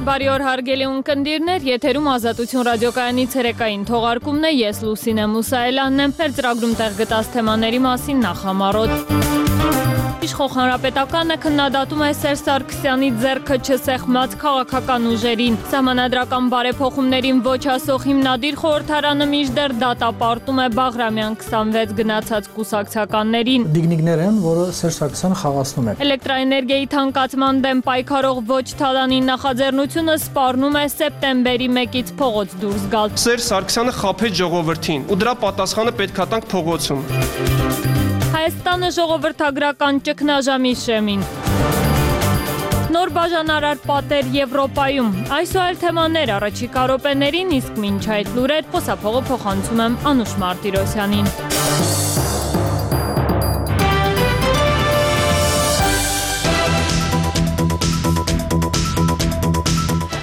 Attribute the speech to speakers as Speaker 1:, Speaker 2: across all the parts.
Speaker 1: Բարի օր հարգելի ունկնդիրներ, եթերում Ազատություն ռադիոկայանի ցերեկային թողարկումն է, ես Լուսինե Մուսայելյանն եմ, մեր ծրագրում տեղ գտած թեմաների մասին նախամարոտ։ Իշխող հանրապետականը քննադատում է Սերժ Սարգսյանի ձեռքը չսեղմած քաղաքական ուժերին։ Սահմանադրական բարեփոխումներին ոչ ասող հիմնադիր խորհրդարանը մինչդեռ դատապարտում է Բաղրամյան 26 գնացած կուսակցականներին։
Speaker 2: Դիգնիկներ են, որը Սերժ Սարգսյանը խաղացնում է։
Speaker 1: Էլեկտրաէներգիայի թանկացման դեմ պայքարող ոչ թալանի նախաձեռնությունը սպառնում է սեպտեմբերի 1-ից փողոց դուրս գալ։
Speaker 3: Սերժ Սարգսյանը խաբեց ժողովրդին ու դրա պատասխանը պետք է տանք փողոցում։
Speaker 1: Հայաստանը ժողովրդագրական ճգնաժամի շեմին։ Նոր բաժանարար պատեր Եվրոպայում։ Այս ու այլ թեմաներ առաջիկա րոպեներին, իսկ մինչ այդ լուրեր խոսափողը փոխանցում եմ Անուշ Մարտիրոսյանին։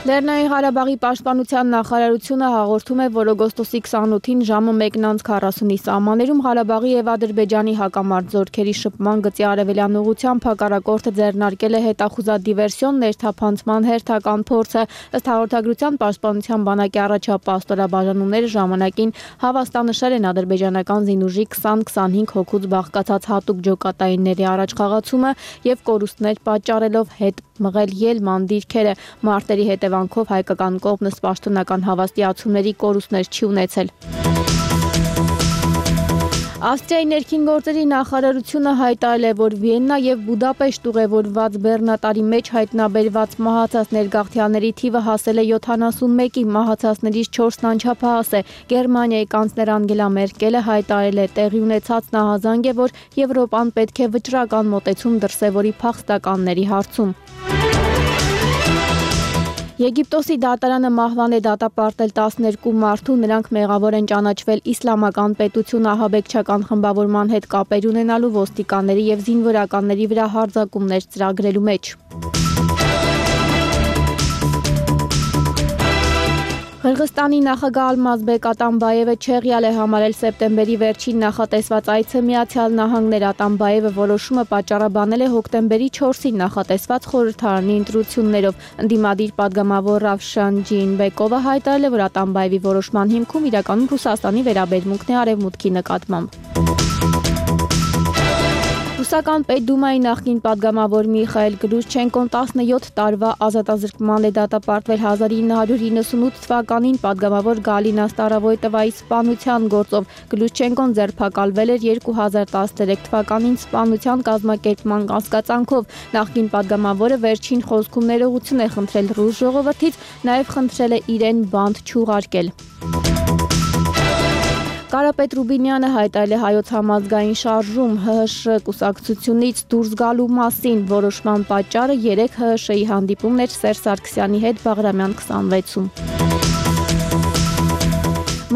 Speaker 4: Լեռնային Ղարաբաղի պաշտպանության նախարարությունը հաղորդում է, որ օգոստոսի 28-ին ժամը 1:40-ի սահմաններում Ղարաբաղի եւ Ադրբեջանի հակամարտ զորքերի շփման գծի արևելյան ուղղությամբ հակառակորդը ձեռնարկել է հետախուզադիվերսիոն ներթափանցման հերթական փորձը։ Ըստ հաղորդագրության պաշտպանության բանակի առաջապահ ստորաբաժանումները ժամանակին հավաստանշել են ադրբեջանական զինուժի 20-25 հոգուց բաղկացած հատուկ ջոկատայինների առաջխաղացումը եւ կորուստներ պատճառելով հետ մղել ելման դիրքերը։ Մարտերի հետևանքով հայկական կողմն պաշտոնական հավաստիացումների կորուստներ չի ունեցել։ Ավստրիայի ներքին գործերի նախարարությունը հայտարարել է, որ Վիեննա եւ Բուդապեշտ ուղևորված բեռնատարի մեջ հայտնաբերված մահացած ներգաղթյալների թիվը հասել է 71-ի, մահացածներից 4-ն անչափահաս է։ Գերմանիայի կանցլեր Անգելա Մերկելը հայտարարել է, տեղի ունեցած նահազանգ է, որ Եվրոպան պետք է վճռական մոտեցում դրսևորի փախստականների հարցում։ Եգիպտոսի դատարանը մահվան է դատապարտել 12 մարդու, նրանք մեղավոր են ճանաչվել իսլամական պետություն ահաբեկչական խմբավորման հետ կապեր ունենալու, ոստիկանների եւ զինվորականների վրա հարձակումներ ծրագրելու մեջ։ Қырғызստանի նախագահ Ալմազբեկ Ատամբաևը չեղյալ է համարել սեպտեմբերի վերջին նախատեսված այցը Միացյալ Նահանգներ։ Ատամբաևը որոշումը պատճառաբանել է հոկտեմբերի 4-ին նախատեսված խորհրդարանի ընտրություններով։ Ընդդիմադիր պատգամավոր Ռավշան Ջինբեկովը հայտարարել է, որ Ատամբաևի որոշման հիմքում իրականում Ռուսաստանի վերաբերմունքն է արևմուտքի նկատմամբ։ Ռուսական Պետդումայի նախկին պատգամավոր Միխայել Գլուշչենկոն 17 տարվա ազատազրկման է դատապարտվել 1998 թվականին պատգամավոր Գալինա Ստարավոյտովայի սպանության գործով։ Գլուշչենկոն ձերբակալվել էր 2013 թվականին սպանության կազմակերպման կասկածանքով։ Նախկին պատգամավորը վերջին խոսքում ներողություն է խնդրել ռուս ժողովրդից, նաև խնդրել է իրեն բանտ չուղարկել։ Կարապետ Ռուբինյանը հայտարարել է Հայոց համազգային շարժում ՀՀՇ կուսակցությունից դուրս գալու մասին։ Որոշման պատճառը 3 ՀՀՇ-ի հանդիպումն էր Սերժ Սարգսյանի հետ Բաղրամյան 26-ում։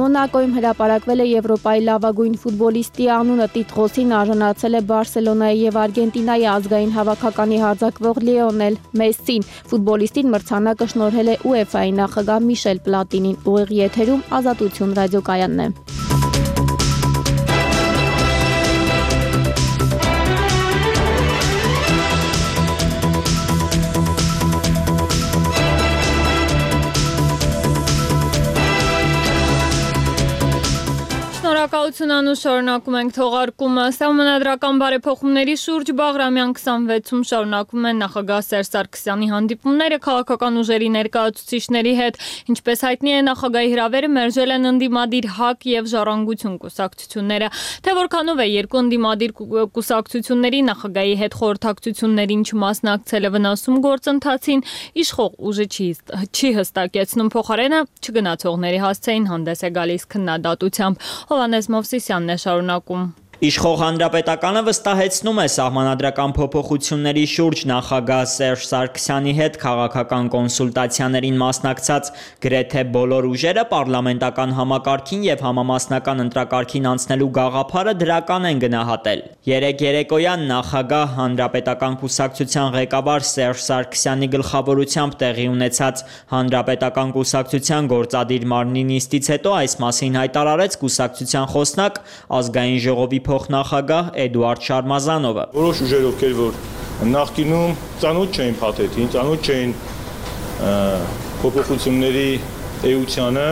Speaker 4: Մոնակոյում հրապարակվել է Եվրոպայի լավագույն ֆուտբոլիստի անունը, տիտղոսին արժանացել է Բարսելոնայի եւ Արգենտինայի ազգային հավաքականի հարձակվող Լիոնել Մեսսին։ Ֆուտբոլիստին մրցանակը շնորհել է UEFA-ի նախագահ Միշել Պլատինին։ Ուղիղ եթերում Ազատություն ռադիոկայանն է։
Speaker 1: Շնորհակալություն Անուշ, շարունակում ենք թողարկումը։ Սահմանադրական բարեփոխումների շուրջ Բաղրամյան 26-ում շարունակվում են նախագահ Սերժ Սարգսյանի հանդիպումները քաղաքական ուժերի ներկայացուցիչների հետ։ Ինչպես հայտնի է, նախագահի հրավերը մերժել են ընդդիմադիր ՀԱԿ եւ Ժառանգություն կուսակցությունները։ Թե որքանով է երկու ընդդիմադիր կուսակցությունների նախագահի հետ խորհրդակցություններին չմասնակցելը վնասում գործընթացին, իշխող ուժը չի հստակեցնում, փոխարենը չգնացողների հասցեին հանդես է գալիս քննադատությամբ։ Հովհաննես Մովսիսյանն է շարունակում։
Speaker 5: Իշխող հանրապետականը վստահեցնում է սահմանադրական փոփոխությունների շուրջ նախագահ Սերժ Սարգսյանի հետ քաղաքական կոնսուլտացիաներին մասնակցած գրեթե բոլոր ուժերը պարլամենտական համակարգին եւ համամասնական ընտրակարգին անցնելու գաղափարը դրական են գնահատել։ Երեկ երեկոյան նախագահ հանրապետական կուսակցության ղեկավար Սերժ Սարգսյանի գլխավորությամբ տեղի ունեցած հանրապետական կուսակցության գործադիր մարմնի նիստից հետո այս մասին հայտարարեց կուսակցության խոսնակ ազգային ժողովի փոխնախագահ Էդուարդ Շարմազանովը։
Speaker 6: Որոշ ուժեր, ովքեր որ նախկինում ծանոթ չէին փաթեթին, ծանոթ չէին փոփոխությունների էությանը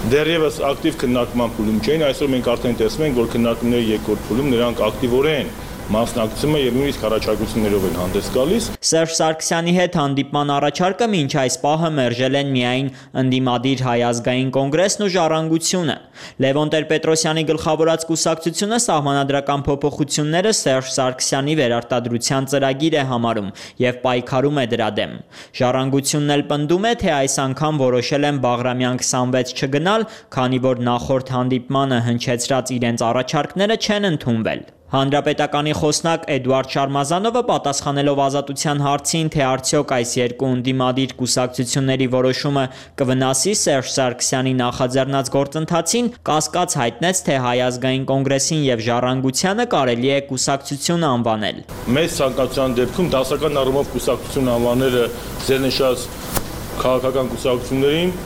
Speaker 6: դեռևս ակտիվ քննարկման փուլում չէին, այսօր մենք արդեն տեսնում ենք, որ քննարկումների երկրորդ փուլում նրանք ակտիվորեն մասնակցում է եւ նույնիսկ առաջարկություններով են հանդես գալիս։
Speaker 5: Սերժ Սարգսյանի հետ հանդիպման առաջարկը մինչ այս պահը մերժել են միայն ընդդիմադիր Հայ ազգային կոնգրեսն ու Ժառանգությունը։ Լևոն Տեր-Պետրոսյանի գլխավորած կուսակցությունը սահմանադրական փոփոխությունները Սերժ Սարգսյանի վերարտադրության ծրագիր է համարում եւ պայքարում է դրա դեմ։ Ժառանգությունն էլ պնդում է, թե այս անգամ որոշել են Բաղրամյան 26 չգնալ, քանի որ նախորդ հանդիպմանը հնչեցրած իրենց առաջարկները չեն ընդունվել։ Հանրապետականի խոսնակ Էդուարդ Շարմազանովը պատասխանելով Ազատության հարցին, թե արդյոք այս երկու ընդդիմադիր կուսակցությունների որոշումը կվնասի Սերժ Սարգսյանի նախաձեռնած գործընթացին, կասկած հայտնեց, թե Հայ ազգային կոնգրեսին եւ Ժառանգությանը կարելի է կուսակցություն անվանել։
Speaker 6: Մեծ ցանկացության դեպքում դասական առումով կուսակցություն անվանելը ձեռնշած քաղաքական կուսակցություններին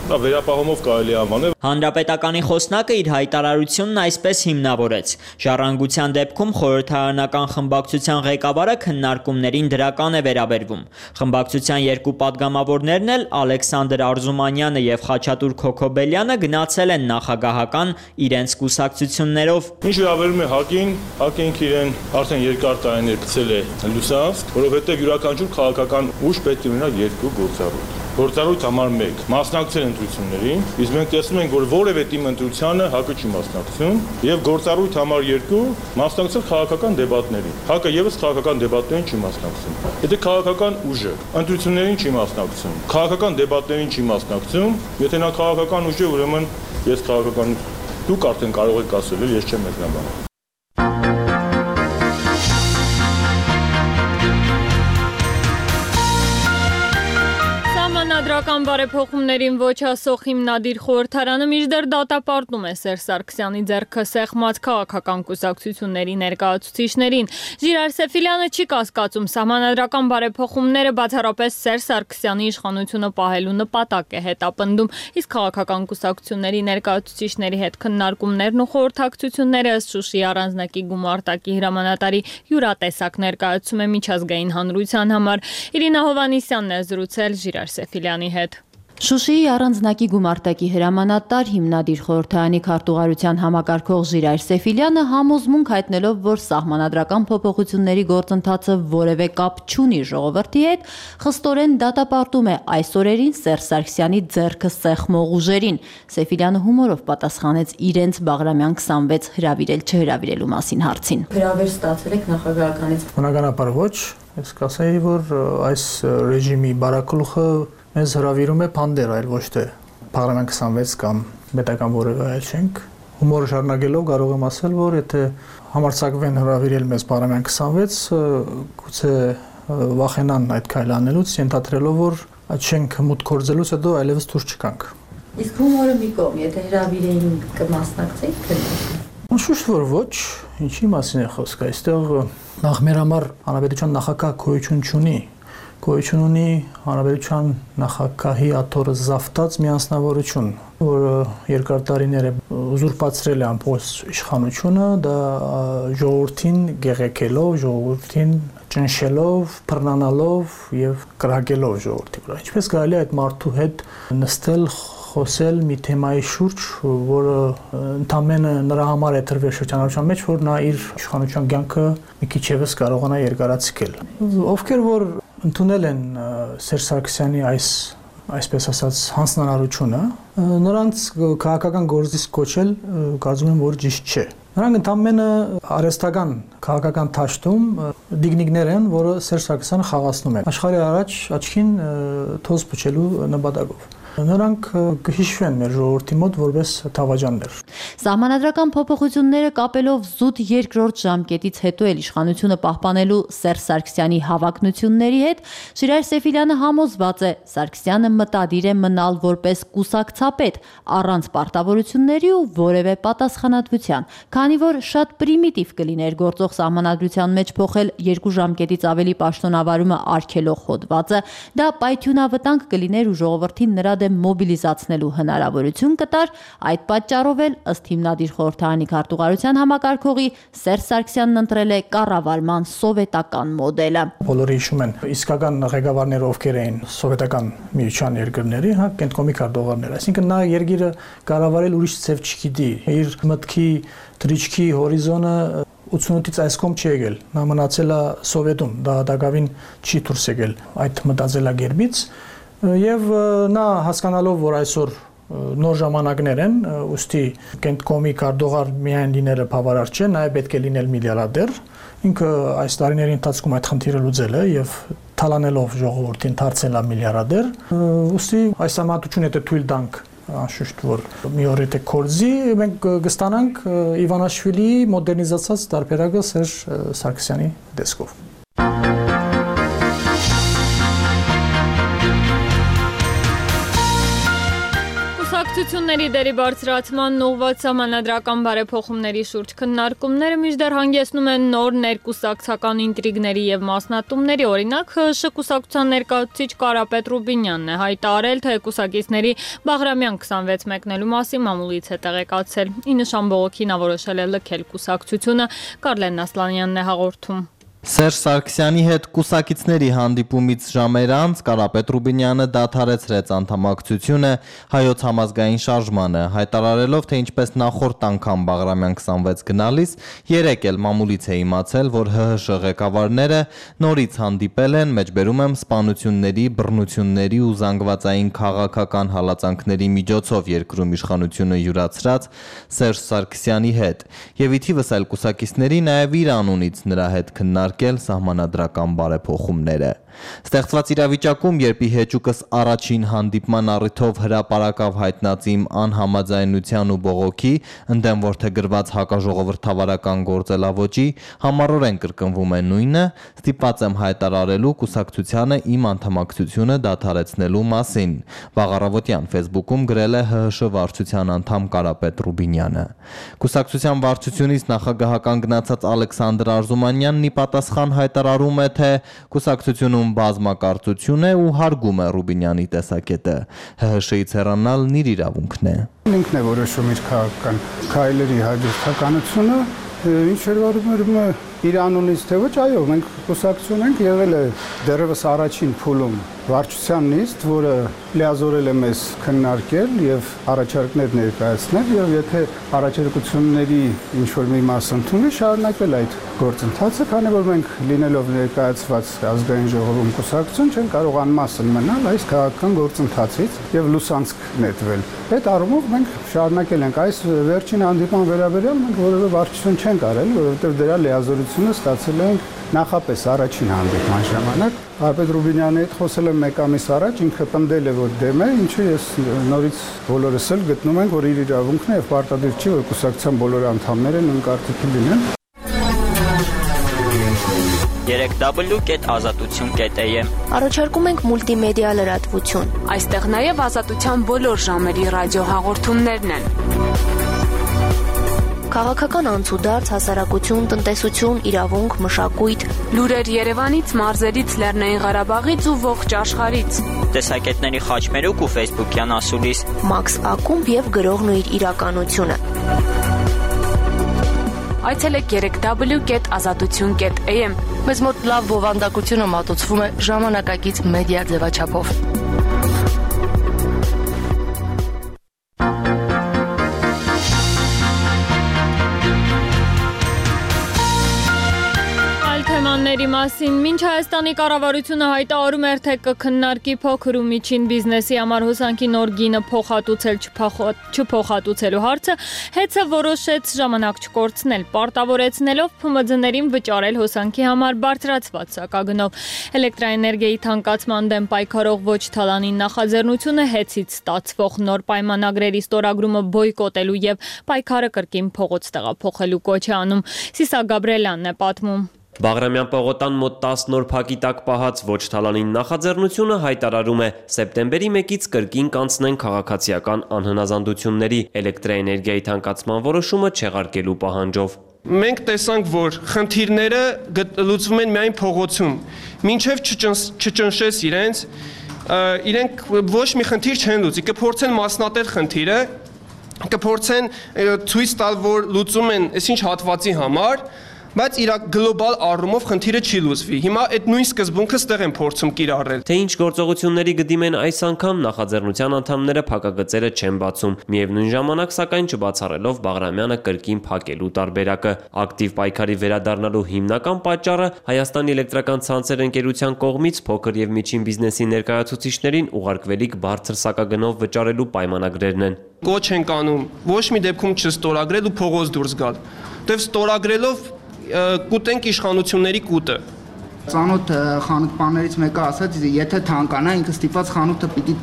Speaker 6: վերապահումով կարելի անվանել։
Speaker 5: Հանրապետականի խոսնակը իր հայտարարությունն այսպես հիմնավորեց. Ժառանգության դեպքում խորհրդարանական խմբակցության ղեկավարը քննարկումներին դրական է վերաբերվում։ Խմբակցության երկու падգամավորներն էլ Ալեքսանդր Արզումանյանը եւ Խաչատուր Քոքոբելյանը գնացել են նախագահական իրենց կուսակցություններով։
Speaker 6: Ինչ վերաբերում է ՀԱԿ-ին, ՀԱԿ-ին իրեն արդեն երկար տարիներ գցել է լուսանցք, որովհետեւ յուրաքանչյուր քաղաքական ուժ պետք է ունենա երկու գործառույթ։ Գործառույթ համար 1 մասնակցել ընտրություններին, իսկ մենք տեսնում ենք, որ որևէ թիմ ընտրությանը ՀԱԿ-ը չի մասնակցում, եւ գործառույթ համար 2 մասնակցել քաղաքական դեբատներին։ ՀԱԿ-ը եւս քաղաքական դեբատներին չի մասնակցում։ Եթե քաղաքական ուժը ընտրություններին չի մասնակցում, քաղաքական դեբատներին չի մասնակցում, եթե նա քաղաքական ուժ է, ուրեմն ես քաղաքական դուք արդեն կարող եք ասել, ես չեմ մեկնաբանում։
Speaker 1: Սահմանադրական բարեփոխումներին ոչ ասող հիմնադիր խորհրդարանը մինչդեռ դատապարտում է Սերժ Սարգսյանի ձեռքը սեղմած քաղաքական կուսակցությունների ներկայացուցիչներին։ Ժիրայր Սեֆիլյանը չի կասկածում, սահմանադրական բարեփոխումները բացառապես Սերժ Սարգսյանի իշխանությունը պահելու նպատակ է հետապնդում, իսկ քաղաքական կուսակցությունների ներկայացուցիչների հետ քննարկումներն ու խորհրդակցությունները ըստ Շուշիի առանձնակի գումարտակի հրամանատարի յուրատեսակ ներկայացում է միջազգային հանրության համար։ Իրինա Հովանիսյանն է զրուցել Ժիրայր Սեֆիլյանի հետ։
Speaker 7: Շուշիի առանձնակի գումարտակի հրամանատար հիմնադիր խորհրդարանի քարտուղարության համակարգող Ժիրայր Սեֆիլյանը համոզմունք հայտնելով, որ սահմանադրական փոփոխությունների գործընթացը որևէ կապ չունի ժողովրդի հետ, խստորեն դատապարտում է այս օրերին Սերժ Սարգսյանի ձեռքը սեղմող ուժերին։ Սեֆիլյանը հումորով պատասխանեց իրենց Բաղրամյան 26 հրավիրել չհրավիրելու մասին հարցին։ Հրավեր ստացել եք նախագահականից։
Speaker 2: Բնականաբար ոչ, ես կասեի, որ այս ռեժիմի բարակլուխը մեզ հրավիրում է փանդեր, այլ ոչ թե Բաղրամյան 26 կամ պետական որևէ այլ շենք։ Հումորը շարունակելով կարող եմ ասել, որ եթե համարձակվեն հրավիրել մեզ Բաղրամյան 26, գուցե վախենան այդ քայլը անելուց, ենթադրելով, որ այդ շենքը մուտք գործելուց հետո այլևս դուրս չգանք։
Speaker 7: Իսկ հումորը մի կողմ, եթե հրավիրեին կմասնակցեիք քննարկումներին։
Speaker 2: Շուշտ որ ոչ, ինչի մասին է խոսքը, այստեղ նախ մեր համար հանրապետության նախագահ գոյություն չունի։ Գոյություն ունի հանրապետության նախագահի աթոռը զավթած մի անձնավորություն, որը երկար տարիներ է ուզուրպացրել է ամբողջ իշխանությունը, դա ժողովրդին գեղեցելով, ժողովրդին ճնշելով, բռնանալով եւ կրակելով ժողովրդի վրա։ Ինչպես կարելի է այդ մարդու հետ նստել, խոսել մի թեմայի շուրջ, որը ընդամենը նրա համար է տրվել շրջանառության մեջ, որ նա իր իշխանության կյանքը մի քիչ եւս կարողանա երկարացնել։ Ովքեր որ ընդունել են Սերժ Սարգսյանի այսպես ասած հանձնարարությունը, նրանց քաղաքական գործից կոչել կարծում եմ որ ճիշտ չէ։ Նրանք ընդամենը արհեստական քաղաքական թաշտում դիգնիկներ են, որը Սերժ Սարգսյանը խաղացնում է աշխարհի առաջ աչքին թոզ փչելու նպատակով։ Նրանք կհիշվեն մեր ժողովրդի մոտ որպես թավաջաններ։
Speaker 7: Սահմանադրական փոփոխությունները կապելով զուտ երկրորդ ժամկետից հետո էլ իշխանությունը պահպանելու Սերժ Սարգսյանի հավակնությունների հետ, Ժիրայր Սեֆիլյանը համոզված է, Սարգսյանը մտադիր է մնալ որպես կուսակցապետ, առանց պարտավորությունների ու որևէ պատասխանատվության, քանի որ շատ պրիմիտիվ կլիներ գործող սահմանադրության մեջ փոխել 2 ժամկետից ավելի պաշտոնավարումը արգելող հոդվածը, դա պայթյունավտանգ կլիներ ու ժողովրդին նրա դեմ մոբիլիզացնելու հնարավորություն կտար, այդ պատճառով էլ ըստ հիմնադիր խորհրդարանի քարտուղարության համակարգողի Սերժ Սարգսյանն ընտրել է կառավարման սովետական մոդելը։
Speaker 2: Բոլորը հիշում են իսկական ղեկավարները ովքեր էին սովետական միության երկրների, կենտկոմի քարտուղարներ, այսինքն նա երկիրը կառավարել ուրիշ ձև չգիտի, իր մտքի դրիչքի հորիզոնը 88-ից այս կողմ չի եկել, նա մնացել է սովետում, դա դակավին չի դուրս եկել այդ մտածելակերպից եւ նա հասկանալով, որ այսօր նոր ժամանակներ են, ուստի կենտկոմի քարտուղար միայն լինելը բավարար չէ, նաև պետք է լինել միլիարդեր, ինքը այս տարիների ընթացքում այդ խնդիրը լուծել է եւ թալանելով ժողովրդին դարձել է միլիարդեր, ուստի այս համատությունը եթե թույլ տանք անշուշտ որ մի օր եթե կորզի մենք կստանանք Իվանաշվիլիի մոդեռնիզացած տարբերակը Սերժ Սարգսյանի տեսքով։
Speaker 1: Կուսակցությունների դերի բարձրացման ուղղված սահմանադրական բարեփոխումների շուրջ քննարկումները մինչդեռ հանգեցնում են նոր ներկուսակցական ինտրիգների եւ մասնատումների, օրինակ ՀՀՇ կուսակցության ներկայացուցիչ Կարապետ Ռուբինյանն է հայտարարել, թե կուսակիցների Բաղրամյան 26 մեկնելու մասին մամուլից է տեղեկացել։ Ի նշան բողոքի նա որոշել է լքել կուսակցությունը, Կարլեն Ասլանյանն է հաղորդում։
Speaker 8: Սերժ Սարգսյանի հետ կուսակիցների հանդիպումից ժամեր անց Կարապետ Ռուբինյանը դադարեցրեց անդամակցությունը հայոց համազգային շարժմանը, հայտարարելով, թե ինչպես նախորդ անգամ Բաղրամյան 26 գնալիս, երեկ էլ մամուլից է իմացել, որ ՀՀՇ ղեկավարները նորից հանդիպել են, մեջբերում եմ սպանությունների, բռնությունների ու զանգվածային քաղաքական հալածանքների միջոցով երկրում իշխանությունը յուրացրած Սերժ Սարգսյանի հետ, եւ ի թիվս այլ կուսակիցների նաև իր անունից նրա հետ քննարկել սահմանադրական բարեփոխումները։ Ստեղծված իրավիճակում, երբ ի հեճուկս առաջին հանդիպման առիթով հրապարակավ հայտնած իմ անհամաձայնության ու բողոքի, ընդդեմ որդեգրված հակաժողովրդավարական գործելավոճի, համառորեն կրկնվում է նույնը, ստիպված եմ հայտարարելու կուսակցությանը իմ անդամակցությունը դադարեցնելու մասին, վաղ առավոտյան Facebook-ում գրել է ՀՀՇ վարչության անդամ Կարապետ Ռուբինյանը։ Կուսակցության վարչությունից նախագահական գնացած Ալեքսանդր Արզումանյանն ի պատասխան հայտարարում է, թե կուսակցությունում բազմակարծություն է ու հարգում է Ռուբինյանի տեսակետը։ ՀՀՇ-ից հեռանալն իր իրավունքն է։
Speaker 9: Ինքն է որոշում իր քաղաքական քայլերի հաջորդականությունը, ինչ վերաբերում է իր անունից թե ոչ, այո, մենք կուսակցություն ենք, եղել է դեռևս առաջին փուլում վարչության նիստ, որը լիազորել է մեզ քննարկել եւ առաջարկներ ներկայացնել, եւ եթե առաջարկությունների ինչ-որ մի մասը ընդունվի, շարունակել այդ գործընթացը, քանի որ մենք լինելով ներկայացված ազգային ժողովում կուսակցություն չեն կարող անմասն մնալ այս քաղաքական գործընթացից եւ լուսանցք նետվել։ Այդ առումով մենք շարունակել ենք այս վերջին հանդիպման վերաբերյալ մենք որևէ վարչություն չենք արել, որովհետեւ դրա լիազորությունը ստացել ենք նախապես առաջին հանդիպման ժամանակ Կարապետ Ռուբինյանի հետ խոսել եմ մեկ ամիս առաջ, ինքը պնդել է, որ դեմ է, ինչը ես նորից բոլորս էլ գտնում ենք, որ իր իրավունքն է եւ պարտադիր չի, որ կուսակցության բոլոր անդամները նույն կարծիքի լինեն։
Speaker 5: www.azatutun.am
Speaker 10: Առաջարկում ենք մուլտիմեդիա լրատվություն։
Speaker 11: Այստեղ նաև ազատության բոլոր ժամերի ռադիոհաղորդումներն են։
Speaker 10: Քաղաքական անցուդարձ, հասարակություն, տնտեսություն, իրավունք, մշակույթ,
Speaker 11: լուրեր Երևանից, մարզերից, Լեռնային Ղարաբաղից ու ողջ աշխարհից։
Speaker 5: Տեսակետների խաչմերուկ ու Facebook-յան ասուլիս։
Speaker 10: Մաքս Ակումբ եւ գրողն ու իր իրականությունը։
Speaker 11: Այցելեք www.azatutun.am։
Speaker 10: Մեզ մոտ լավ բովանդակությունը մատուցվում է ժամանակակից մեդիա ձևաչափով։
Speaker 1: Թեմաների մասին մինչ Հայաստանի կառավարությունը հայտարարում էր, թե կքննարկի փոքր ու միջին բիզնեսի համար հոսանքի նոր գինը փոխհատուցել չփոխհատուցելու հարցը, ՀԵՑ-ը որոշեց ժամանակ չկորցնել, պարտավորեցնելով ՓՄՁ-ներին վճարել հոսանքի համար բարձրացված սակագնով։ Էլեկտրաէներգիայի թանկացման դեմ պայքարող ոչ թալանի նախաձեռնությունը ՀԵՑ-ից ստացվող նոր պայմանագրերի ստորագրումը բոյկոտելու եւ պայքարը կրկին փողոց տեղափոխելու կոչ է անում։ Սիսա Գաբրելյանն է պատմում։
Speaker 12: Բաղրամյան պողոտան մոտ 10 նոր փակի տակ պահած ոչ թալանին նախաձեռնությունը հայտարարում է սեպտեմբերի 1-ից կրկին կանցնեն քաղաքացիական անհնազանդությունների էլեկտրաէներգիայի թանկացման որոշումը չեղարկելու պահանջով։
Speaker 3: Մենք տեսանք, որ խնդիրները լուծվում են միայն փողոցում, մինչև չճնշես իրենց իրենք ոչ մի խնդիր չեն լուծի, կփորձեն մասնատել խնդիրը, կփորձեն ցույց տալ, որ լուծում են այսինչ հատվածի համար, բայց իր գլոբալ առումով խնդիրը չի լուծվի։ Հիմա այդ նույն սկզբունքը ստեղ են փորձում կիրառել։
Speaker 12: Թե ինչ գործողությունների գդիմեն այս անգամ նախաձեռնության անդամները փակագծերը չեն բացում։ Միևնույն ժամանակ, սակայն չբացառելով Բաղրամյանը կրկին փակելու տարբերակը։ Ակտիվ պայքարի վերադառնալու հիմնական պատճառը Հայաստանի էլեկտրական ցանցեր ընկերության կողմից փոքր եւ միջին բիզնեսի ներկայացուցիչներին ուղարկվելիք բարձր սակագնով վճարելու պայմանագրերն են։
Speaker 3: Կոչ են կանում ոչ մի դեպքում չստորագրել ու փողոց դուրս գալ։ Դեվ ստորագրելով կուտենք իշխանությունների կուտը։
Speaker 13: Ծանոթ խանութպաններից մեկը ասաց, եթե թանկանա, ինքը ստիպված խանութը պիտի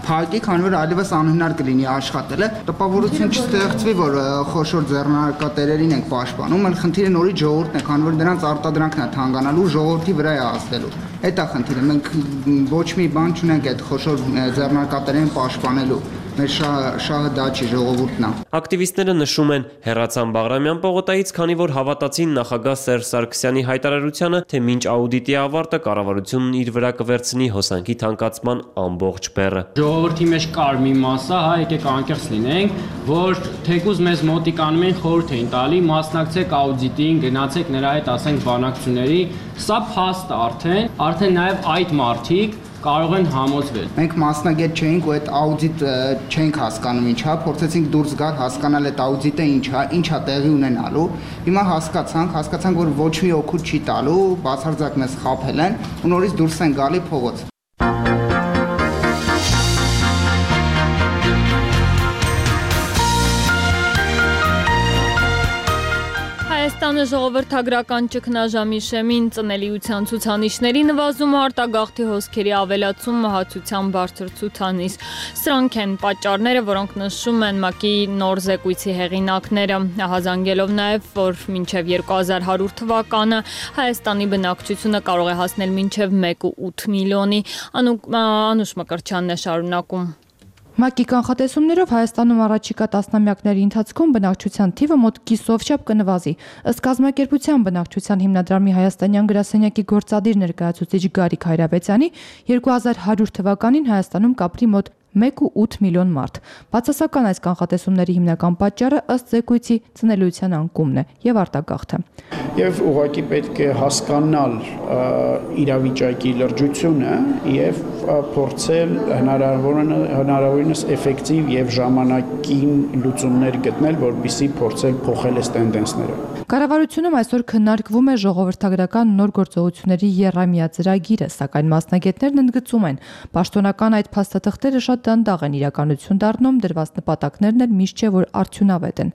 Speaker 13: փակի, քանի որ այլևս անհնար կլինի աշխատելը։ Տպավորություն չստեղծվի, որ խոշոր ձեռնարկատերերին ենք պաշտպանում, այլ խնդիրը նորից ժողովուրդն է, քանի որ դրանց արտադրանքն է թանկանալու, ժողովրդի վրա է ազդելու։ Այդ է խնդիրը, մենք ոչ մի բան չունենք այդ խոշոր ձեռնարկատերերին պաշտպանելու։ Մեր շահը դա չի, ժողովուրդն է։
Speaker 12: Ակտիվիստները նշում են, հեռացան Բաղրամյան պողոտայից, քանի որ հավատացին նախագահ Սերժ Սարգսյանի հայտարարությանը, թե մինչ աուդիտի ավարտը կառավարությունն իր վրա կվերցնի հոսանքի թանկացման ամբողջ բեռը։
Speaker 14: Ժողովրդի մեջ կար մի մասա, եկեք անկեղծ լինենք, որ թեկուզ մեզ մոտիկանում են խորհուրդ էին տալի, մասնակցեք աուդիտին, գնացեք նրա հետ, ասենք, բանակցությունների, սա փաստ արդեն նաև այդ մարդիկ կարող են համոզվել։
Speaker 13: Մենք մասնագետ չէինք ու այդ աուդիտ չենք հասկանում ինչա, փորձեցինք դուրս գալ, հասկանալ այդ աուդիտը ինչա տեղի ունենալու։ Հիմա հասկացանք, որ ոչ մի օգուտ չի տալու, բացարձակ մեզ խաբել են ու նորից դուրս են գալի փողոց։
Speaker 1: Հայաստանը ժողովրդագրական ճգնաժամի շեմին ծնելիության ցուցանիշների նվազումը, արտագաղթի հոսքերի ավելացում, մահացության բարձր ցուցանիշ։ Սրանք են պատճառները, որոնք նշում են ՄԱԿ-ի նոր զեկույցի հեղինակները, հազանգելով նաև, որ մինչև 2100 թվականը Հայաստանի բնակչությունը կարող է հասնել մինչև 1.8 միլիոնի։ Անուշ Մկրտչյանն է շարունակում։
Speaker 15: ՄԱԿ-ի կանխատեսումներով Հայաստանում առաջիկա տասնամյակների ընթացքում բնակչության թիվը մոտ կիսով չափ կնվազի։ Ըստ կազմակերպության բնակչության հիմնադրամի հայաստանյան գրասենյակի գործադիր ներկայացուցիչ Գարիկ Հայրաբեցյանի 2100 թվականին Հայաստանում կապրի մոտ 1.8 միլիոն մարդ։ Բացասական այս կանխատեսումների հիմնական պատճառը ըստ զեկույցի ծնելիության անկումն է եւ արտագաղթը։
Speaker 9: Եվ ուղղակի պետք է հասկանալ իրավիճակի լրջությունը եւ փորձել հնարավորինս էֆեկտիվ եւ ժամանակին լուծումներ գտնել, որպեսզի փորձել փոխել այս տենդենսները։
Speaker 15: Կառավարությունում այսօր քննարկվում է ժողովրդագրական նոր գործողությունների եռամյա ծրագիրը, սակայն մասնագետներն ընդգծում են, պաշտոնական այդ փաստաթղթերը շատ դանդաղ են իրականություն դառնում, դրված նպատակներն էլ միշտ չէ, որ արդյունավետ են։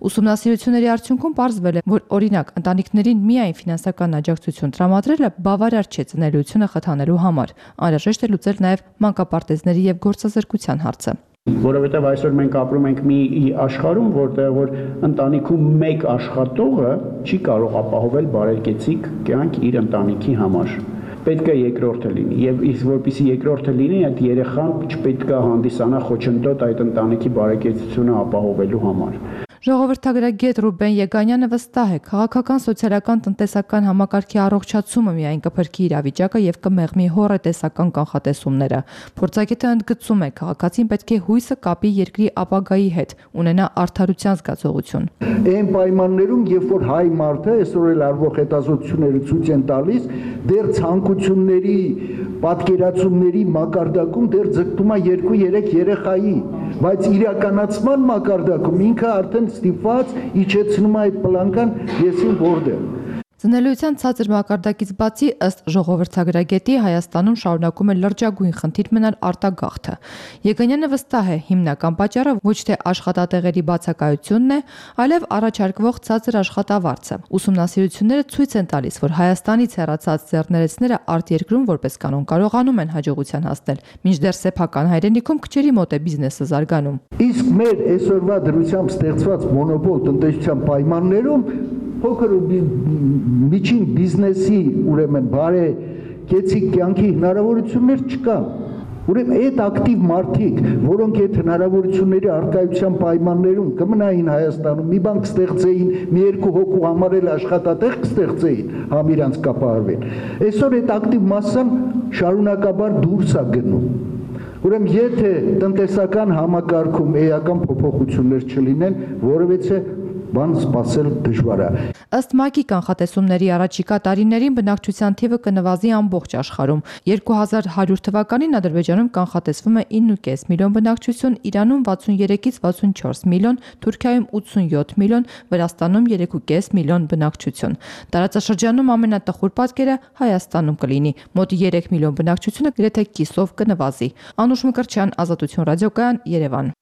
Speaker 15: Ուսումնասիրությունների արդյունքում պարզվել է, որ օրինակ ընտանիքներին միայն ֆինանսական աջակցություն տրամադրելը բավարար չէ ծնելիությունը խթանելու համար։ Անհրաժեշտ է լուծել նաև մանկապարտեզների եւ գործազրկության հարցը։
Speaker 9: Որովհետև այսօր մենք ապրում ենք մի աշխարհում, որտեղ որ ընտանիքում մեկ աշխատողը չի կարող ապահովել բարեկեցիկ կյանք իր ընտանիքի համար։ Պետք է երկրորդը լինի եւ իսկ որպեսզի երկրորդը լինի, այդ երեխան չպետք է հանդիսանա խոչընդոտ այդ ընտանիքի բարեկեցությունը ապահովելու համար։
Speaker 15: Ժողովրդագրագետ Ռուբեն Եգանյանը վստահ է, քաղաքական, սոցիալական, տնտեսական համակարգի առողջացումը միայն կփրկի իրավիճակը եւ կմեղմի հոռետեսական կանխատեսումները։ Փորձագետը ընդգծում է, քաղաքացին պետք է հույսը կապի երկրի ապագայի հետ, ունենա արդարության զգացողություն։
Speaker 16: Այն պայմաններում, երբ որ հայ մարդը այսօր էլ արվող հետազոտությունները ցույց են տալիս, դեռ ցանկությունների, պատկերացումների մակարդակում դեռ ձգտում է 2-3 երեխայի, բայց իրականացման մակարդակում ինքը արդեն ստիպված իջեցնում է այդ պլանկան եսին որտեղ։
Speaker 15: Ծնելիության ցածր մակարդակից բացի ըստ ժողովրդագրագետի Հայաստանում շարունակում է լրջագույն խնդիր մնալ արտագաղթը։ Եգանյանը վստահ է, հիմնական պատճառը ոչ թե աշխատատեղերի բացակայությունն է, այլև առաջարկվող ցածր աշխատավարձը։ Ուսումնասիրությունները ցույց են տալիս, որ Հայաստանից հեռացած ձեռներեցները արտերկրում որպես կանոն կարողանում են հաջողության հասնել, մինչդեռ սեփական հայրենիքում քչերի մոտ է բիզնեսը զարգանում։
Speaker 16: Իսկ մեր այսօրվա դրությամբ ստեղծված մոնոպոլ տնտեսության պայմաններում փոքր ու միջին բիզնեսի ուրեմն բարեկեցիկ կյանքի հնարավորություններ չկան։ Ուրեմն այդ ակտիվ մարդիկ, որոնք այդ հնարավորությունների արկայության պայմաններում կմնային Հայաստանում, մի բան կստեղծեին, մի երկու հոգու համար էլ աշխատատեղ կստեղծեին, համ իրանց կապահարվեն։ Այսօր այդ ակտիվ մասսան շարունակաբար դուրս է գնում։ Ուրեմն եթե տնտեսական համակարգում էական փոփոխություններ չլինեն, որովհետեւ բան սպասել դժվար է։
Speaker 15: Ըստ ՄԱԿ-ի կանխատեսումների առաջիկա տարիներին բնակչության թիվը կնվազի ամբողջ աշխարհում։ 2100 թվականին Ադրբեջանում կանխատեսվում է 9.5 միլիոն բնակչություն, Իրանում 63-ից 64 միլիոն, Թուրքիայում 87 միլիոն, Վրաստանում 3.5 միլիոն բնակչություն։ Տարածաշրջանում ամենատխուր պատկերը Հայաստանում կլինի։ Մոտ 3 միլիոն բնակչությունը գրեթե կիսով կնվազի։ Անուշ Մկրտչյան, Ազատություն ռադիոկայան, Երևան։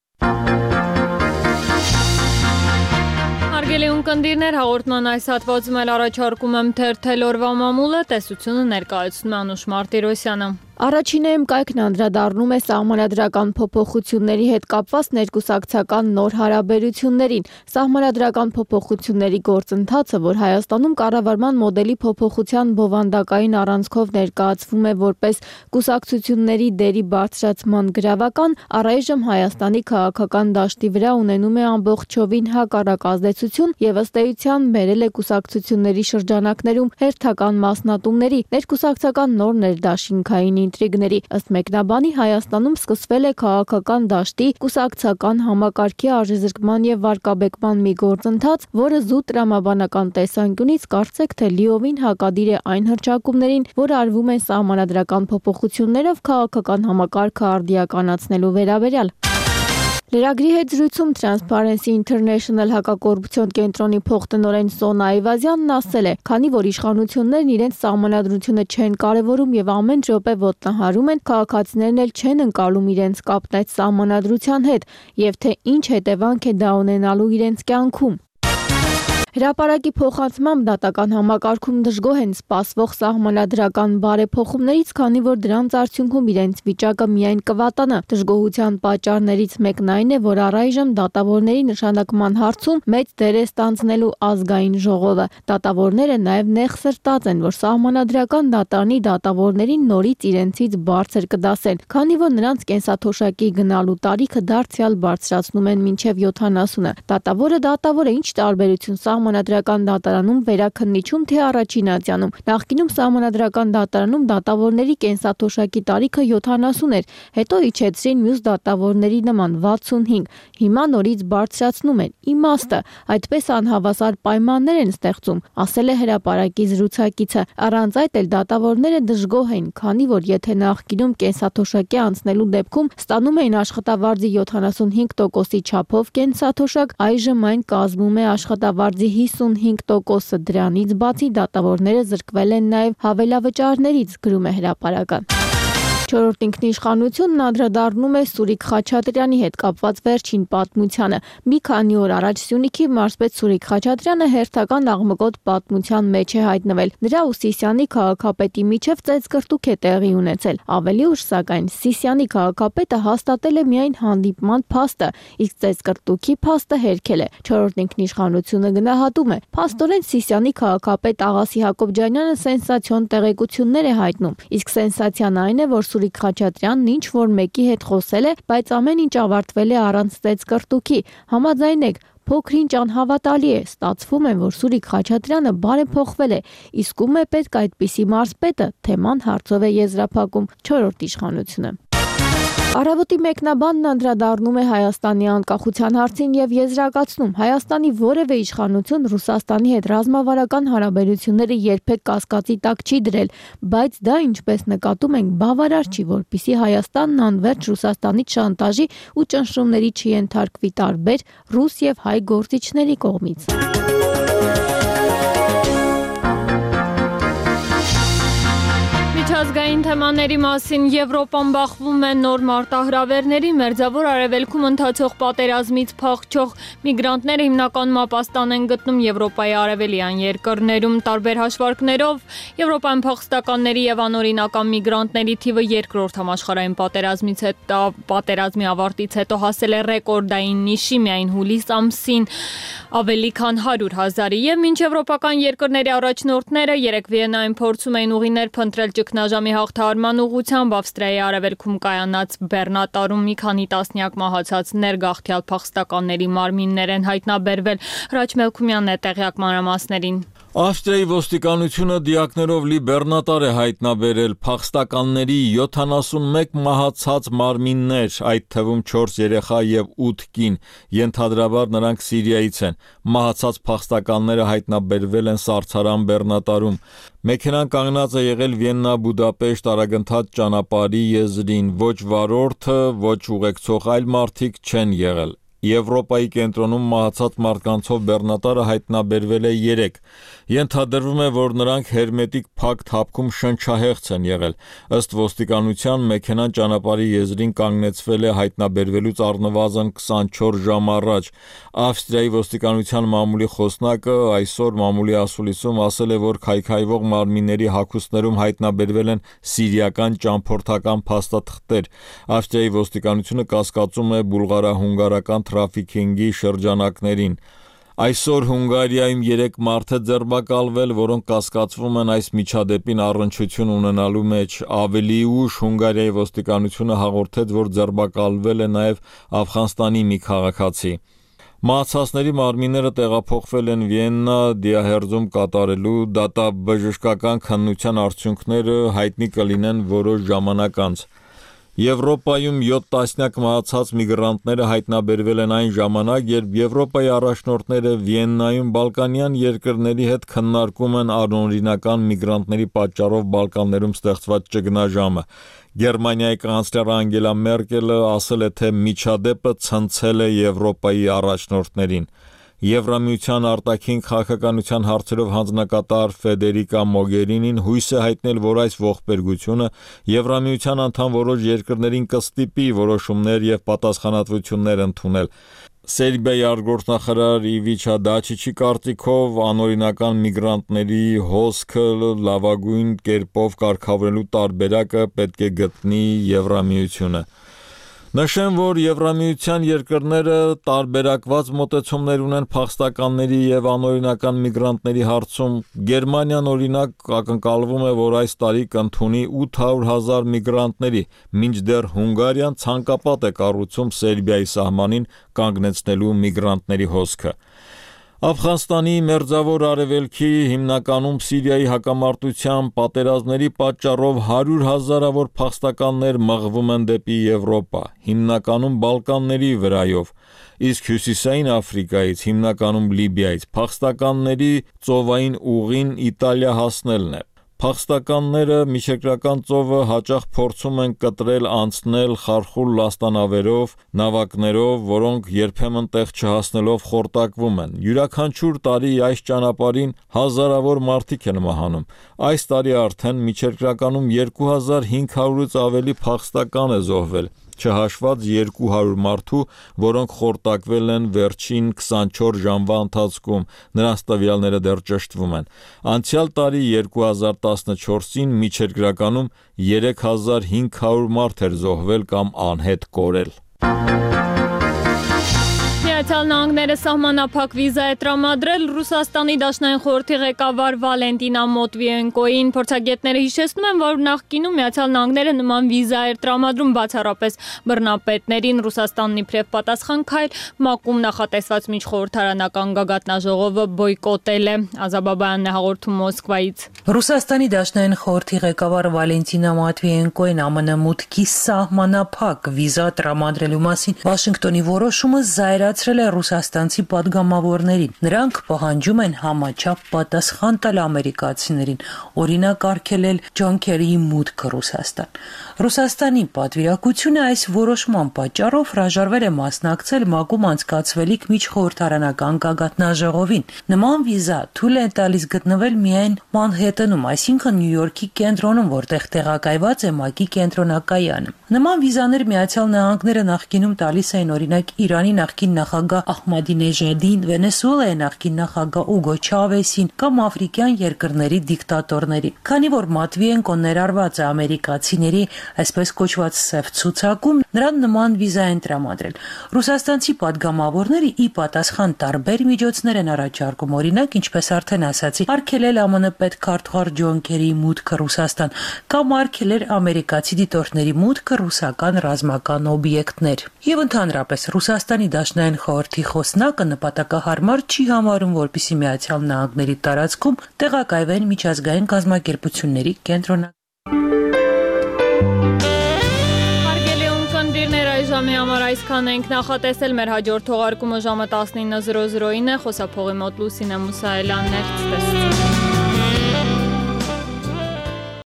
Speaker 1: Հարգելի ունկնդիրներ, հաղորդման այս հատվածում էլ առաջարկում եմ թերթել օրվա մամուլը, տեսությունը ներկայացնում է Անուշ Մարտիրոսյանը։
Speaker 4: Առաջինը կայքն անդրադառնում է սահմանադրական փոփոխությունների հետ կապված ներկուսակցական նոր հարաբերություններին։ Սահմանադրական փոփոխությունների գործընթացը, որ Հայաստանում կառավարման մոդելի փոփոխության բովանդակային առանցքով ներկայացվում է որպես կուսակցությունների դերի բարձրացման գրավական, առայժմ Հայաստանի քաղաքական դաշտի վրա ունենում է ամբողջովին հակառակ ազդեցություն եւ ըստ էության բերել է կուսակցությունների շրջանակներում հերթական մասնատումների, ներկուսակցական նոր ներդաշինքային ինտրիգների։ Ըստ մեկնաբանի Հայաստանում սկսվել է քաղաքական դաշտի կուսակցական համակարգի արժեզրկման եւ վարկաբեկման մի գործընթաց, որը զուտ տրամաբանական տեսանկյունից կարծեք թե լիովին հակադիր է այն հռչակումներին, որ արվում են սահմանադրական փոփոխություններով քաղաքական համակարգը արդիականացնելու վերաբերյալ։ Լրագրի հետ զրույցում Transparency International հակակոռուպցիոն կենտրոնի փոխտնօրեն Սոնա Այվազյանն ասել է, քանի որ իշխանություններն իրենց սահմանադրությունը չեն կարևորում եւ ամեն րոպե ոտնահարում են, քաղաքացիներն էլ չեն ընկալում իրենց կապն այդ սահմանադրության հետ եւ թե ինչ հետևանք է դա ունենալու իրենց կյանքում։ Հրապարակի փոխանցմամբ դատական համակարգում դժգոհ են սպասվող սահմանադրական բարեփոխումներից, քանի որ դրանց արդյունքում իրենց վիճակը միայն կվատանա։ Դժգոհության պատճառներից մեկն այն է, որ առայժմ դատավորների նշանակման հարցում մեծ դեր է ստանձնելու ազգային ժողովը։ Դատավորները նաև նեղսրտած են, որ սահմանադրական դատարանի դատավորներին նորից իրենցից բարձր կդասեն, քանի որ նրանց կենսաթոշակի գնալու տարիքը դարձյալ բարձրացնում են մինչև 70-ը։ Դատավորը ինչ տարբերություն Սահմանադրական դատարանում վերաքննիչում թե առաջին ատյանում։ Նախկինում Սահմանադրական դատարանում դատավորների կենսաթոշակի տարիքը 70 էր, հետո իջեցրին մյուս դատավորների նման 65։ Հիմա նորից բարձրացնում են։ Իմաստը, այդպես անհավասար պայմաններ են ստեղծում, ասել է հրապարակի զրուցակիցը։ Առանց այդ էլ դատավորները դժգոհ են, քանի որ եթե նախկինում կենսաթոշակի անցնելու դեպքում ստանում էին աշխատավարձի 75%-ի չափով կենսաթոշակ, այժմ այն կազմում է աշխատավարձի 55%-ը։ Դրանից բացի դատավորները զրկվել են նաև հավելավճարներից, գրում է հրապարակը։ Չորրորդ ինքնիշխանությունն անդրադառնում է Սուրիկ Խաչատրյանի հետ կապված վերջին պատմությանը։ Մի քանի օր առաջ Սյունիքի մարզպետ Սուրիկ Խաչատրյանը հերթական աղմկոտ պատմության մեջ է հայտնվել։ Նրա ու Սիսիանի քաղաքապետի միջև ծեծկռտուք է տեղի ունեցել։ Ավելի ուշ, սակայն, Սիսիանի քաղաքապետը հաստատել է միայն հանդիպման փաստը, իսկ ծեծկռտուքի փաստը հերքել է։ Չորրորդ ինքնիշխանությունը գնահատում է. փաստորեն Սիսիանի քաղաքապետ Աղասի Հակոբյանյանը սենսացիոն տեղեկություններ է հայտնում, իսկ սենսացիան այն է, որ Սուրիկ Խաչատրյանն ինչ որ մեկի հետ խոսել է, բայց ամեն ինչ ավարտվել է առանց ծեծկռտուքի։ Համաձայնեք, փոքր-ինչ անհավատալի է, ստացվում է, որ Սուրիկ Խաչատրյանը բարեփոխվել է, իսկ ում է պետք այդպիսի մարզպետը, թեման հարցով է եզրափակում Չորրորդ իշխանությունը։ Առավոտի մեկնաբանն անդրադառնում է Հայաստանի անկախության հարցին եւ եզրակացնում. Հայաստանի որևէ իշխանություն Ռուսաստանի հետ ռազմավարական հարաբերությունները երբեք կասկածի տակ չի դրել, բայց դա, ինչպես նկատում ենք, բավարար չի, որպեսզի Հայաստանն անվերջ Ռուսաստանից շանտաժի ու ճնշումների չենթարկվի տարբեր ռուս եւ հայ գործիչների կողմից։
Speaker 1: Միջազգային թեմաների մասին Եվրոպան բախվում է նոր մարտահրավերների, Մերձավոր Արևելքում ընթացող պատերազմից փախչող միգրանտները հիմնականում ապաստան են գտնում Եվրոպայի արևելյան երկրներում։ Տարբեր հաշվարկներով Եվրոպայում փախստականների եւ անօրինական միգրանտների թիվը երկրորդ համաշխարհային պատերազմի ավարտից հետո հասել է ռեկորդային նիշի, միայն հուլիս ամսին ավելի քան 100,000-ի եւ մինչ եվրոպական երկրների առաջնորդները երեք Վիեննայում փորձում էին ուղիներ փնտրել ճգնաժամի ճգնաժամի հաղթահարման ուղղությամբ Ավստրիայի արևելքում կայանած բեռնատարում մի քանի տասնյակ մահացածներ գաղթյալ փախստականների մարմիններ են հայտնաբերվել։ Հրաչ Մելքումյանն է տեղյակ մանրամասներին։
Speaker 17: Ավստրիայի ոստիկանությունը դիակներով լի բեռնատար է հայտնաբերել փախստականների 71 մահացած մարմիններ, այդ թվում 4 երեխա եւ 8 կին, ենթադրաբար նրանք Սիրիայից են։ Մահացած փախստականները հայտնաբերվել են Սարցարան բեռնատարում։ Մեքենան կանգնած է եղել Վիեննա-Բուդապեշտ արագընթաց ճանապարհի եզրին, ոչ վարորդը, ոչ ուղեկցող այլ մարդիկ չեն եղել։ Եվրոպայի կենտրոնում մահացած մարդկանցով բեռնատարը հայտնաբերվել է 3։ Ենթադրվում է, որ նրանք հերմետիկ փակ թափքում շնչահեղձ են եղել։ Ըստ ոստիկանության մեքենան ճանապարհի եզրին կանգնեցվել է հայտնաբերվելուց առնվազն 24 ժամ առաջ։ Ավստրիայի ոստիկանության մամուլի խոսնակը այսօր մամուլի ասուլիսում ասել է, որ քայքայվող մարմինների հագուստներում հայտնաբերվել են սիրիական ճամփորդական փաստաթղթեր։ Ավստրիայի ոստիկանությունը կասկածում է բուլղարա-հունգարական թրաֆիքինգի շրջանակներին։ Այսօր Հունգարիայում 3 մարդ է ձերբակալվել, որոնք կասկածվում են այս միջադեպին առնչություն ունենալու մեջ։ Ավելի ուշ Հունգարիայի ոստիկանությունը հաղորդեց, որ ձերբակալվել է նաև Աֆղանստանի մի քաղաքացի։ Մահացածների մարմինները տեղափոխվել են Վիեննա դիահերձում կատարելու, դատաբժշկական քննության արդյունքները հայտնի կլինեն որոշ ժամանակ անց։ Եվրոպայում 7 տասնյակ մահացած միգրանտները հայտնաբերվել են այն ժամանակ, երբ Եվրոպայի առաջնորդները Վիեննայում բալկանյան երկրների հետ քննարկում են անօրինական միգրանտների պատճառով Բալկաններում ստեղծված ճգնաժամը։ Գերմանիայի կանցլեր Անգելա Մերկելը ասել է, թե միջադեպը ցնցել է Եվրոպայի առաջնորդներին։ Եվրամիության արտաքին քաղաքականության հարցերով հանձնակատար Ֆեդերիկա Մոգերինին հույս է հայտնել, որ այս ողբերգությունը Եվրամիության անդամ որոշ երկրներին կստիպի որոշումներ եւ պատասխանատվություններ ընդունել։ Սերբիայի արտգործնախարար Իվիչա Դաչիչի կարծիքով անօրինական միգրանտների հոսքը լավագույն կերպով կարգավորելու տարբերակը պետք է գտնի Եվրամիությունը։ Նշեմ, որ Եվրամիության երկրները տարբերակված մոտեցումներ ունեն փախստականների եւ անօրինական միգրանտների հարցում։ Գերմանիան օրինակ ակնկալվում է, որ այս տարի կընդունի 800,000 միգրանտների, մինչդեռ Հունգարիան ցանկապատ է կառուցում Սերբիայի սահմանին կանգնեցնելու միգրանտների հոսքը։ Աֆղանստանի մերձավոր արևելքի, հիմնականում Սիրիայի հակամարտության պատերազմների պատճառով 100,000-ավոր փախստականներ մղվում են դեպի Եվրոպա, հիմնականում Բալկանների վրայով, իսկ հյուսիսային Աֆրիկայից, հիմնականում Լիբիայից, փախստականների ծովային ուղին Իտալիա հասնելն է։ Փախստականները միջերկրական ծովը հաճախ փորձում են կտրել անցնել խարխուլ լաստանավերով, նավակներով, որոնք երբեմն տեղ չհասնելով խորտակվում են։ Յուրաքանչյուր տարի այս ճանապարհին հազարավոր մարդիկ են մահանում։ Այս տարի արդեն միջերկրականում 2500-ից ավելի փախստական է զոհվել, չհաշված 200 մարդու, որոնք խորտակվել են վերջին 24 ժամվա ընթացքում, նրանց տվյալները դեռ ճշտվում են։ Անցյալ տարի 2014-ին միջերկրականում 3500 մարդ էր զոհվել կամ անհետ կորել։
Speaker 1: Միացյալ Նահանգները սահմանափակ վիզա է տրամադրել Ռուսաստանի Դաշնային խորհրդի ղեկավար Վալենտինա Մոտվիենկոին։ Փորձագետները հիշեցնում են, որ նախկինում Միացյալ Նահանգները նման վիզա էր տրամադրում բացառապես բռնապետներին։ Ռուսաստանն իբրև պատասխան քայլ ՄԱԿ-ում նախատեսված միջխորհրդարանական գագաթնաժողովը բոյկոտել է։ Ազաբաբայանն է հաղորդում Մոսկվայից։
Speaker 18: Ռուսաստանի Դաշնային խորհրդի ղեկավար Վալենտինա Մոտվիենկոին ԱՄՆ մուտքի սահմանափակ վիզա տրամադրելու մասին Վաշինգտոնի որոշումը զայրացրել է ռուսաստանցի պատգամավորներին։ Նրանք պահանջում են համաչափ պատասխան տալ ամերիկացիներին, օրինակ արգելել Ջոն Քերիի մուտքը Ռուսաստան։ Ռուսաստանի պատվիրակությունը այս որոշման պատճառով հրաժարվել է մասնակցել ՄԱԿ-ում անցկացվելիք միջխորհրդարանական գագաթնաժողովին։ Նման վիզա թույլ է տալիս գտնվել միայն Մանհեթենում, այսինքն Նյու Յորքի կենտրոնում, որտեղ տեղակայված է ՄԱԿ-ի կենտրոնակայանը։ Նման վիզաներ Միացյալ Նահանգները նախկինում տալիս էին օրինակ Իրանի նախկին նախագահ Ահմադինեժադին, Վենեսուելայի նախկին նախագահ Ուգո Չավեսին կամ աֆրիկյան երկրների դիկտատորներին։ Քանի որ մատվի են կոներարված է ամերիկացիների այսպես կոչված սև ցուցակում, նրան նման վիզա են տրամադրել։ Ռուսաստանցի падգամավորները ի պատասխան տարբեր միջոցներ են առաջարկում, օրինակ, ինչպես արդեն ասացի, արգելել ԱՄՆ պետքարտուղար Ջոն Քերի մուտքը Ռուսաստան կամ արգելել ամերիկացի դիտորդների մուտքը ռուսական ռազմական օբյեկտներ։ Եվ ընդհանրապես Ռուսաստանի Դաշնային խորհրդի խոսնակը նպատակահարմար չի համարում, որպեսզի Միացյալ Նահանգների տարածքում տեղակայվեն միջազգային կազմակերպությունների կենտրոնակ։
Speaker 1: Ժամի համար այսքան ենք, նախատեսել մեր հաջորդ թողարկումը ժամը 19:00-ին է, խոսափողի մոտ Լուսինե Մուսայելյանն էր, ցտեսություն։